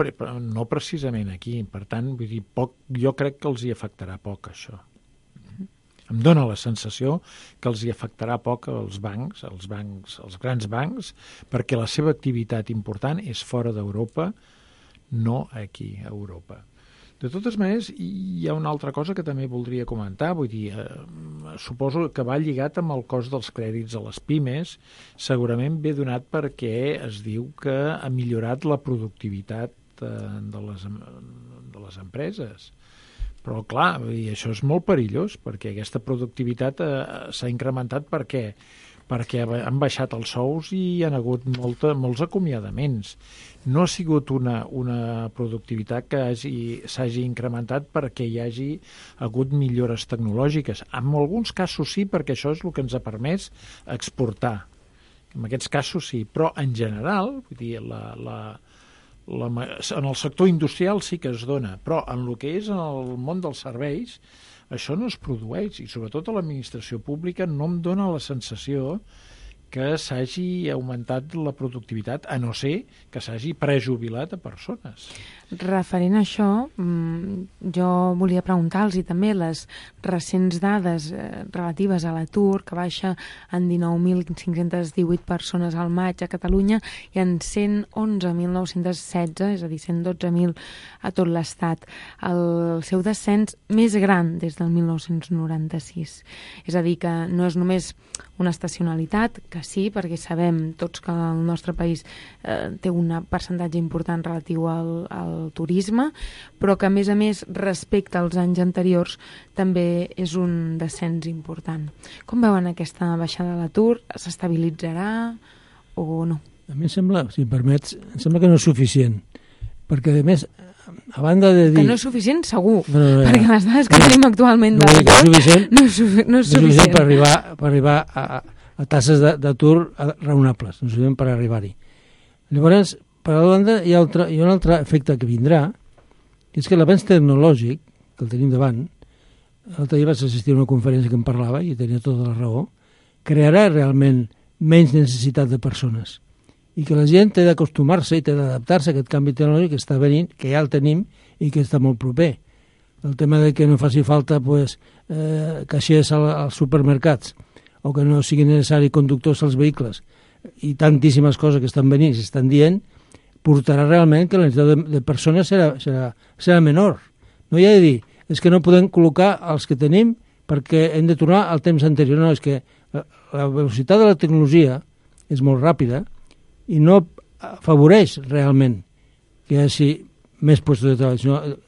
precisament aquí. Per tant, vull dir, jo crec que els hi afectarà poc això. Em dóna la sensació que els hi afectarà poc als bancs, als grans bancs, perquè la seva activitat important és fora d'Europa, no aquí, a Europa. De totes maneres, hi ha una altra cosa que també voldria comentar, vull dir, suposo que va lligat amb el cost dels crèdits a les pimes, segurament ve donat perquè es diu que ha millorat la productivitat de les empreses. Però, clar, això és molt perillós, perquè aquesta productivitat s'ha incrementat perquè han baixat els sous i hi ha hagut molts acomiadaments. No ha sigut una productivitat que s'hagi incrementat perquè hi hagi hagut millores tecnològiques. En alguns casos sí, perquè això és el que ens ha permès exportar. En aquests casos sí, però en general, vull dir, en el sector industrial sí que es dona, però en el que és en el món dels serveis això no es produeix, i sobretot a l'administració pública no em dona la sensació que s'hagi augmentat la productivitat, a no ser que s'hagi prejubilat a persones. Referent a això, jo volia preguntar-los també les recents dades relatives a l'atur, que baixa en 19.518 persones al maig a Catalunya i en 111.916, és a dir, 112.000 a tot l'Estat. El seu descens més gran des del 1996. És a dir, que no és només una estacionalitat, que sí, perquè sabem tots que el nostre país té un percentatge important relatiu al turisme, però que a més respecte als anys anteriors també és un descens important. Com veuen aquesta baixada de l'atur? S'estabilitzarà o no? A mi em sembla, si em permets, em sembla que no és suficient, perquè a més, a banda de dir... Que no és suficient, segur, perquè les dades que tenim actualment de l'atur no és suficient per arribar a tasses d'atur raonables, no és suficient per arribar-hi. Llavors, per a la banda, hi ha un altre efecte que vindrà, que és que l'avenç tecnològic, que el tenim davant, l'altre dia vaig assistir a una conferència que em parlava, i tenia tota la raó, crearà realment menys necessitat de persones, i que la gent té d'acostumar-se i té d'adaptar-se a aquest canvi tecnològic que està venint, que ja el tenim i que està molt proper. El tema de que no faci falta caixers als supermercats, o que no sigui necessari conductors als vehicles, i tantíssimes coses que estan venint i s'estan dient, portarà realment que la necessitat de persones serà menor. No hi ha de dir, és que no podem col·locar els que tenim perquè hem de tornar al temps anterior. No, és que la velocitat de la tecnologia és molt ràpida i no afavoreix realment que hi hagi més llocs de treball,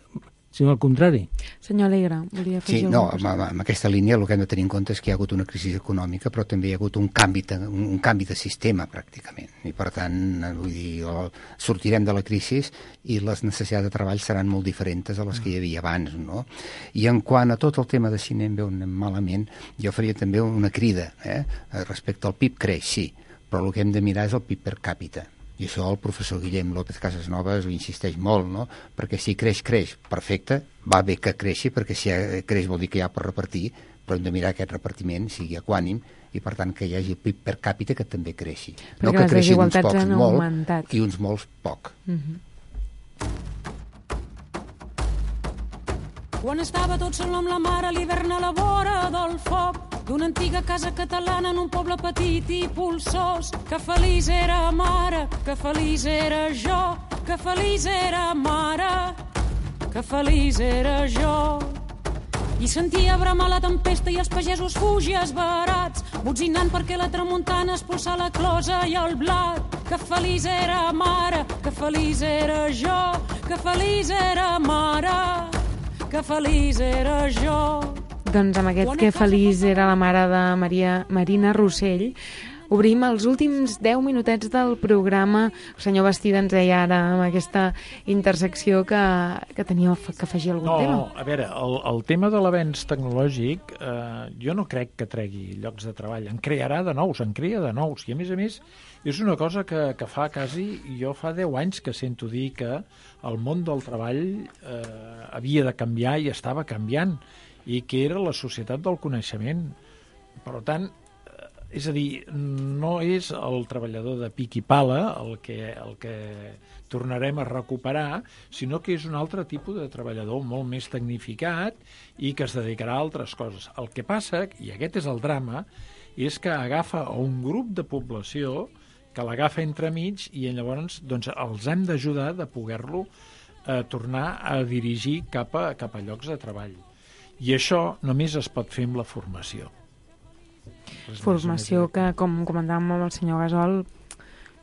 sinó al contrari. Senyor Alegre, volia fer amb aquesta línia el que hem de tenir en compte és que hi ha hagut una crisi econòmica, però també hi ha hagut un canvi de sistema, pràcticament. I, per tant, vull dir, sortirem de la crisi i les necessitats de treball seran molt diferents a les que hi havia abans, no? I en quant a tot el tema de si anem bé o anem malament, jo faria també una crida, respecte al PIB creix, sí, però el que hem de mirar és el PIB per càpita. I això el professor Guillem López Casasnovas ho insisteix molt, no? Perquè si creix, perfecte, va bé que creixi, perquè si creix vol dir que hi ha per repartir, però hem de mirar que aquest repartiment sigui equànim i, per tant, que hi hagi el PIB per càpita que també creixi. Perquè no que creixin uns pocs molt i uns molts poc. Quan estava tot sol amb la mare a l'hivern a la vora del foc d'una antiga casa catalana en un poble petit i polsós, que feliç era mare, que feliç era jo, que feliç era mare, que feliç era jo. I sentia bramar la tempesta i els pagesos fugir esbarats, botzinant perquè la tramuntana expulsà la closa i el blat. Que feliç era mare, que feliç era jo, que feliç era mare, que feliç era jo. Doncs amb aquest que feliç era la mare de Marina Rossell, obrim els últims 10 minutets del programa. El senyor Bastida ens deia ara amb aquesta intersecció que tenia que afegir algun tema. No, a veure, el tema de l'avenç tecnològic jo no crec que tregui llocs de treball. En crearà de nous, en crea de nous. I a més, és una cosa que fa quasi... Jo fa 10 anys que sento dir que el món del treball havia de canviar i estava canviant, i que era la societat del coneixement. Per tant, és a dir, no és el treballador de pic i pala el que tornarem a recuperar, sinó que és un altre tipus de treballador molt més tecnificat i que es dedicarà a altres coses. El que passa, i aquest és el drama, és que agafa un grup de població que l'agafa entremig i llavors doncs, els hem d'ajudar de poder-lo tornar a dirigir cap a llocs de treball. I això només es pot fer amb la formació. Formació que, com comentàvem amb el senyor Gasol,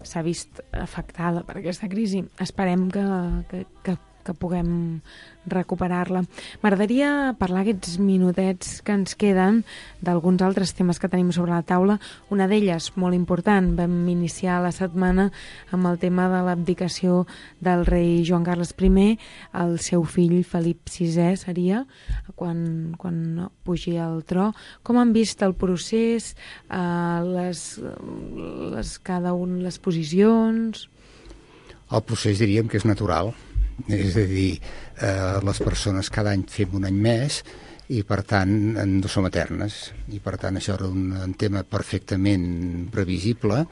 s'ha vist afectada per aquesta crisi. Esperem que puguem recuperar-la. M'agradaria parlar aquests minutets que ens queden d'alguns altres temes que tenim sobre la taula. Una d'elles, molt important, vam iniciar la setmana amb el tema de l'abdicació del rei Joan Carles I, el seu fill Felip VI seria, quan pugi al tro. Com han vist el procés, les posicions? El procés diríem que és natural. És a dir, les persones cada any fem un any més i per tant no som eternes, i per tant això era un tema perfectament previsible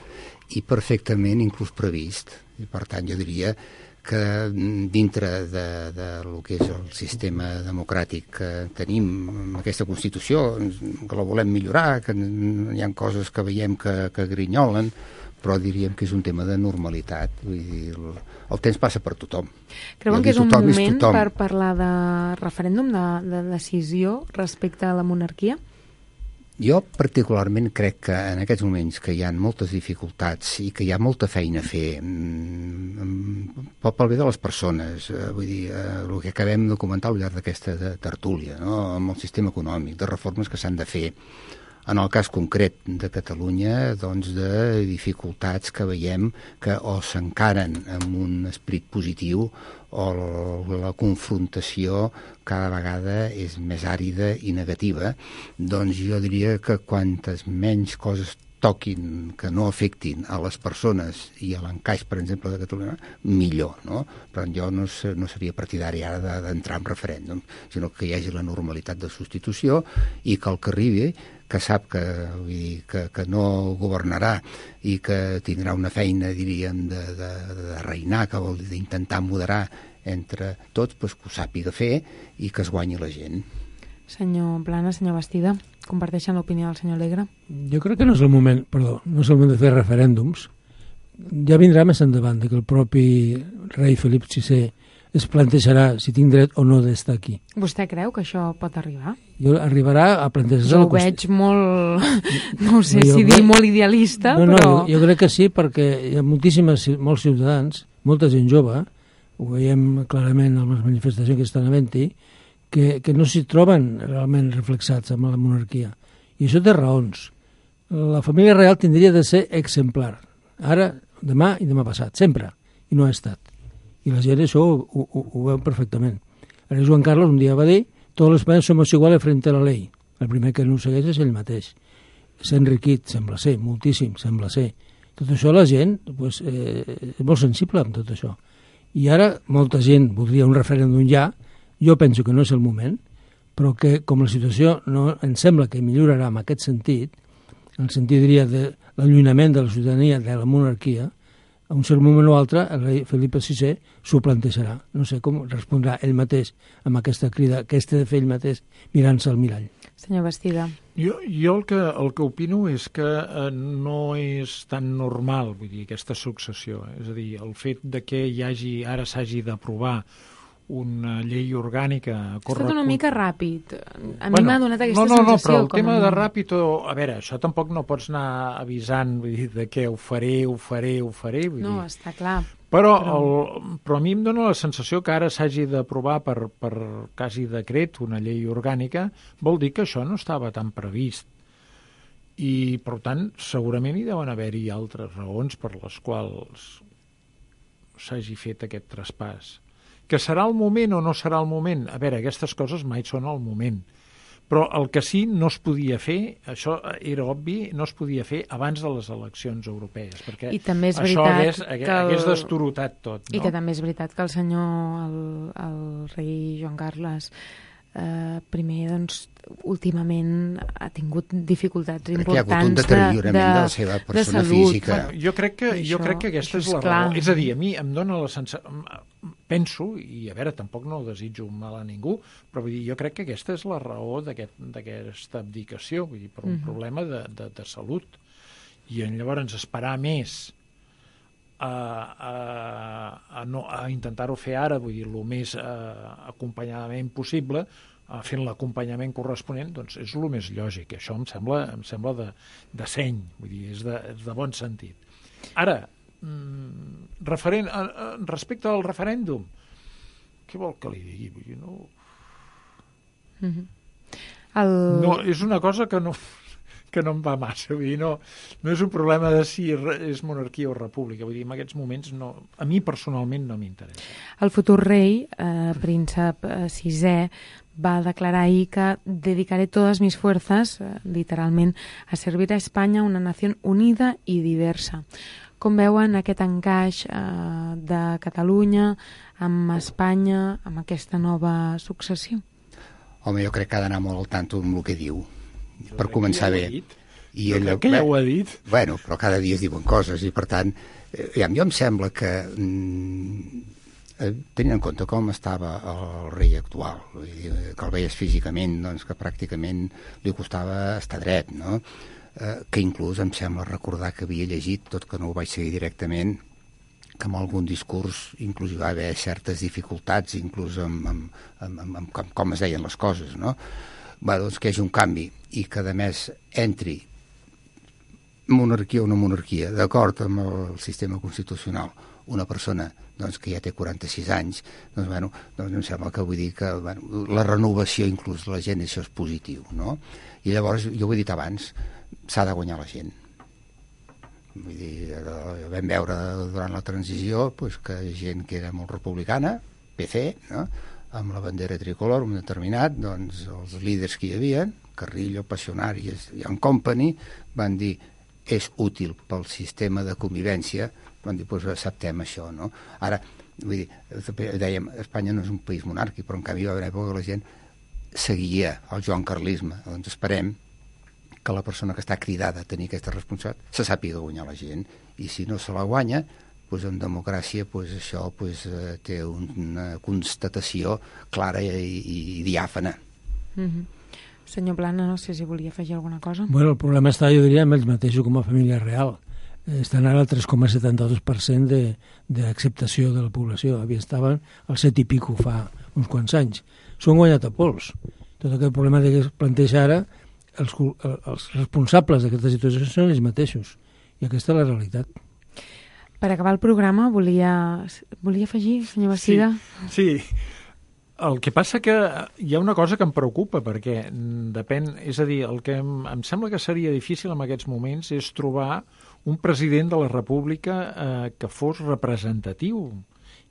i perfectament inclús previst, i per tant jo diria que dintre de lo que és el sistema democràtic que tenim amb aquesta Constitució, que la volem millorar, que hi ha coses que veiem que grinyolen, però diríem que és un tema de normalitat. Vull dir, el temps passa per tothom. Creuen que és un moment per parlar de referèndum, de decisió respecte a la monarquia? Jo particularment crec que en aquests moments que hi ha moltes dificultats i que hi ha molta feina a fer pel bé de les persones, vull dir, el que acabem de comentar al llarg d'aquesta tertúlia, no? Amb el sistema econòmic, de reformes que s'han de fer, en el cas concret de Catalunya, doncs de dificultats que veiem que o s'encaren amb un esperit positiu o la confrontació cada vegada és més àrida i negativa, doncs jo diria que quantes menys coses toquin que no afectin a les persones i a l'encaix, per exemple, de Catalunya, millor, no? Però jo no seria partidari ara d'entrar en referèndum, sinó que hi hagi la normalitat de substitució i que el que arribi, que sap que no governarà i que tindrà una feina, diríem, de reinar, que vol dir d'intentar moderar entre tots, doncs que ho sàpiga fer i que es guanyi la gent. Senyor Plana, senyor Bastida, comparteixen l'opinió del senyor Alegre? Jo crec que no és el moment de fer referèndums. Ja vindrà més endavant que el propi rei Felip VI es plantejarà si tinc dret o no d'estar aquí. Vostè creu que això pot arribar? Arribarà a plantejar-se... Jo ho veig molt, no sé si dir molt idealista, però... No, jo crec que sí, perquè hi ha molts ciutadans, molta gent jove, ho veiem clarament amb les manifestacions que estan havent-hi, que no s'hi troben realment reflexats amb la monarquia. I això té raons. La família real tindria de ser exemplar. Ara, demà i demà passat, sempre. I no ha estat. I la gent això ho veu perfectament. El rei Joan Carlos un dia va dir «Tots els espanyols somos iguales frente a la ley». El primer que no ho segueix és ell mateix. S'ha enriquit, sembla ser, moltíssim, sembla ser. Tot això la gent és molt sensible amb tot això. I ara molta gent voldria un referèndum ja. Jo penso que no és el moment, però que com la situació no ens sembla que millorarà en aquest sentit, en el sentit, diria, de l'allunyament de la ciutadania de la monarquia, a un cert moment o altre el rei Felip VI s'ho plantejarà. No sé com respondrà ell mateix amb aquesta crida que de fer ell mateix mirant-se al mirall. Senyor Bastida. Jo el que opino és que no és tan normal, vull dir, aquesta successió. És a dir, el fet de que ara s'hagi d'aprovar una llei orgànica... Ha estat una mica ràpid. A mi m'ha donat aquesta sensació. No, però el tema de ràpid... A veure, això tampoc no pots anar avisant, vull dir, de què ho faré. Vull dir. Està clar. Però a mi em dóna la sensació que ara s'hagi d'aprovar per quasi decret una llei orgànica, vol dir que això no estava tan previst. I, per tant, segurament hi deuen haver-hi altres raons per les quals s'hagi fet aquest traspàs. Que serà el moment o no serà el moment? A veure, aquestes coses mai són el moment. Però el que sí no es podia fer, això era obvi, no es podia fer abans de les eleccions europees, perquè això hagués destorotat tot. No? I que també és veritat que el senyor, el rei Joan Carles, primer, doncs, últimament ha tingut dificultats importants hi ha hagut un deteriorament de la seva persona física. Jo crec que aquesta és la raó. És a dir, a mi em dóna la sensació... Penso, i a veure, tampoc no desitjo mal a ningú, però vull dir, jo crec que aquesta és la raó d'aquesta abdicació, vull dir, per un problema de salut. I llavors esperar més a intentar-ho fer ara, vull dir, el més acompanyadament possible, fent l'acompanyament corresponent, doncs és el més lògic. Això em sembla de seny, vull dir, és de bon sentit. Ara, respecte al referèndum, què vol que li digui? Vull dir, no, és una cosa que no em va massa, vull dir, no és un problema de si és monarquia o república, vull dir, en aquests moments a mi personalment no m'interessa. El futur rei, príncep VI, va declarar ahir que dedicaré todas mis fuerzas, literalment, a servir a Espanya, una nació unida i diversa. Com veuen aquest encaix de Catalunya amb Espanya, amb aquesta nova successió? Home, jo crec que ha d'anar molt al tanto amb el que diu, per començar bé. Jo crec que ja ho ha dit. Bueno, però cada dia es diuen coses i, per tant, jo em sembla que, tenint en compte com estava el rei actual, que el veies físicament, doncs que pràcticament li costava estar dret, no? Que inclús em sembla recordar que havia llegit, tot que no ho vaig seguir directament, que amb algun discurs inclús hi va haver certes dificultats, inclús amb com es deien les coses, no? Doncs que hi hagi un canvi i que, a més, entri monarquia o no monarquia, d'acord amb el sistema constitucional, una persona doncs, que ja té 46 anys, doncs em sembla que vull dir que la renovació inclús de la gent, això és positiu, no? I llavors, jo ho he dit abans, s'ha de guanyar la gent. Vull dir, vam veure durant la transició doncs, que gent que era molt republicana, PC, no? Amb la bandera tricolor, un determinat, doncs els líders que hi havia, Carrillo, Passionarias i en Company, van dir és útil pel sistema de convivència, van dir, doncs acceptem això, no? Ara, vull dir, dèiem, Espanya no és un país monàrquic, però en canvi va haver una època que la gent seguia el joan carlisme, doncs esperem que la persona que està cridada a tenir aquesta responsabilitat se sàpiga guanyar la gent, i si no se la guanya, doncs en democràcia això té una constatació clara i diàfana. Senyor Plana, no sé si volia afegir alguna cosa. Bueno, el problema està, jo diria, amb ells mateixos com a família real. Estan ara al 3,72% d'acceptació de la població. Estaven al 7 i pico fa uns quants anys. S'ho han guanyat a pols. Tot aquest problema que es planteja ara, els responsables d'aquesta situació són ells mateixos. I aquesta és la realitat. Per acabar el programa, volia afegir, senyor Bastida? Sí. El que passa que hi ha una cosa que em preocupa, perquè depèn, és a dir, el que em sembla que seria difícil en aquests moments és trobar un president de la República que fos representatiu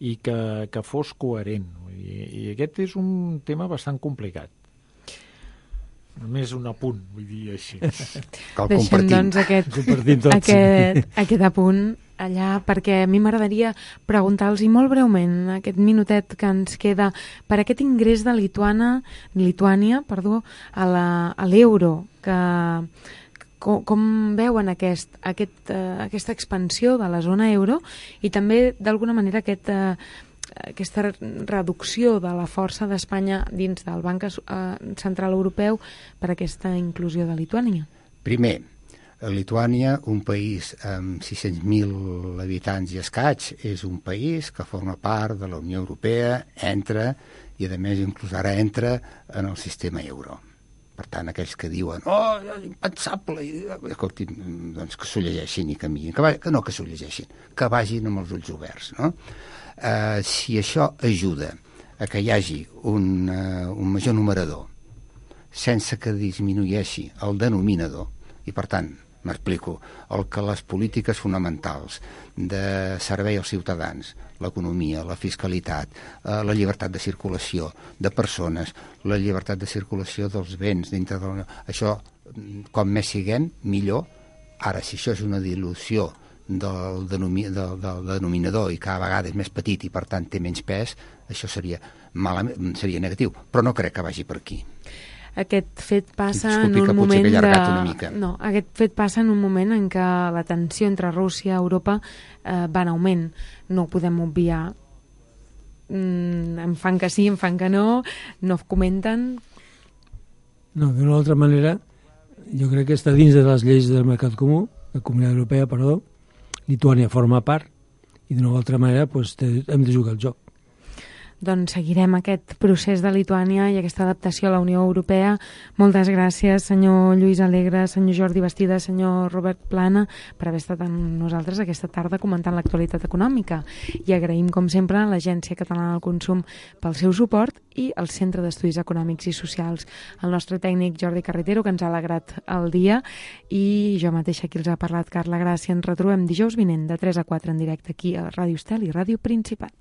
i que fos coherent. I aquest és un tema bastant complicat. Només un apunt, vull dir així. Deixem, doncs, aquest apunt allà, perquè a mi m'agradaria preguntar-los, i molt breument, aquest minutet que ens queda, per aquest ingrés de Lituània a l'euro, com veuen aquesta expansió de la zona euro i també, d'alguna manera, aquesta reducció de la força d'Espanya dins del Banc Central Europeu per aquesta inclusió de Lituània? Primer, Lituània, un país amb 600.000 habitants i escaig, és un país que forma part de la Unió Europea, entra, i a més inclús ara entra en el sistema euro. Per tant, aquells que diuen impensable, escolti, doncs que s'ho llegeixin i canviïn, que s'ho llegeixin, que vagin amb els ulls oberts, no? Si això ajuda a que hi hagi un major numerador sense que disminueixi el denominador, i per tant, m'explico, el que les polítiques fonamentals de servei als ciutadans, l'economia, la fiscalitat, la llibertat de circulació de persones, la llibertat de circulació dels béns dintre de la... Això, com més siguem, millor. Ara, si això és una dilució del denominador i cada vegada és més petit i per tant té menys pes, això seria negatiu, però no crec que vagi per aquí. Aquest fet passa en un moment aquest fet passa en un moment en què la tensió entre Rússia i Europa va en augment. No ho podem obviar. Em fan que sí, em fan que no comenten. No, d'una altra manera, jo crec que està dins de les lleis del Mercat Comú, la Comunitat Europea, perdó. Lituània forma part i d'una altra manera hem de jugar el joc. Doncs seguirem aquest procés de Lituània i aquesta adaptació a la Unió Europea. Moltes gràcies, senyor Lluís Alegre, senyor Jordi Bastida, senyor Robert Plana, per haver estat amb nosaltres aquesta tarda comentant l'actualitat econòmica. I agraïm, com sempre, a l'Agència Catalana del Consum pel seu suport i al Centre d'Estudis Econòmics i Socials, el nostre tècnic Jordi Carretero, que ens ha alegrat el dia, i jo mateixa qui els ha parlat, Carla Gràcia. Ens retrobem dijous vinent de 3 a 4 en directe aquí a Ràdio Estel i Ràdio Principat.